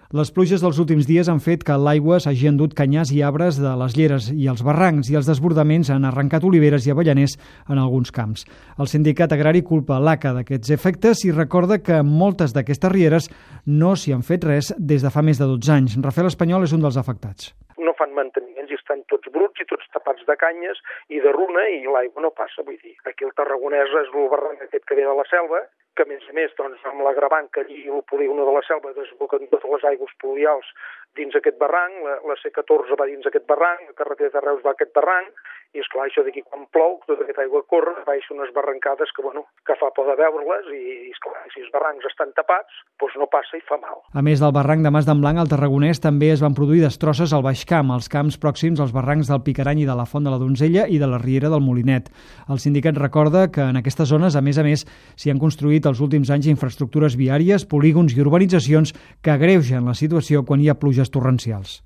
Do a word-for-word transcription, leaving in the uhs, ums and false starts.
Les pluges dels últims dies han fet que l'aigua s'hagi endut canyars i arbres de les lleres i els barrancs, i els desbordaments han arrencat oliveres i avellaners en alguns camps. El sindicat agrari culpa l'A C A d'aquests efectes i recorda que moltes d'aquestes rieres no s'hi han fet res des de fa més de dotze anys. Rafael Espanyol és un dels afectats. No fan manteniments i estan tots bruts i tots tapats de canyes i de runa i l'aigua no passa. Vull dir, aquí el Tarragonès és el barranc aquest que ve de la selva, que a més a més, doncs, amb l'agravant que allí el polígon de la selva desboquen totes les aigües pluvials dins aquest barranc, la, la C catorze va dins aquest barranc, la carretera de Reus va a aquest barranc, i esclar, això d'aquí quan plou, tota aquesta aigua corre, baixa unes barrancades que, bueno, que fa por de veure-les, i esclar, si els barrancs estan tapats, doncs no passa i fa mal. A més del barranc de Mas d'en Blanc, al Tarragonès també es van produir destrosses al Baix Camp, als camps pròxims als barrancs del Picarany i de la Font de la Donzella i de la Riera del Molinet. El sindicat recorda que en aquestes zones, a més a més, s'hi han construït els últims anys infraestructures viàries, polígons i urbanitzacions que agreugen la situació quan hi ha pluges torrencials.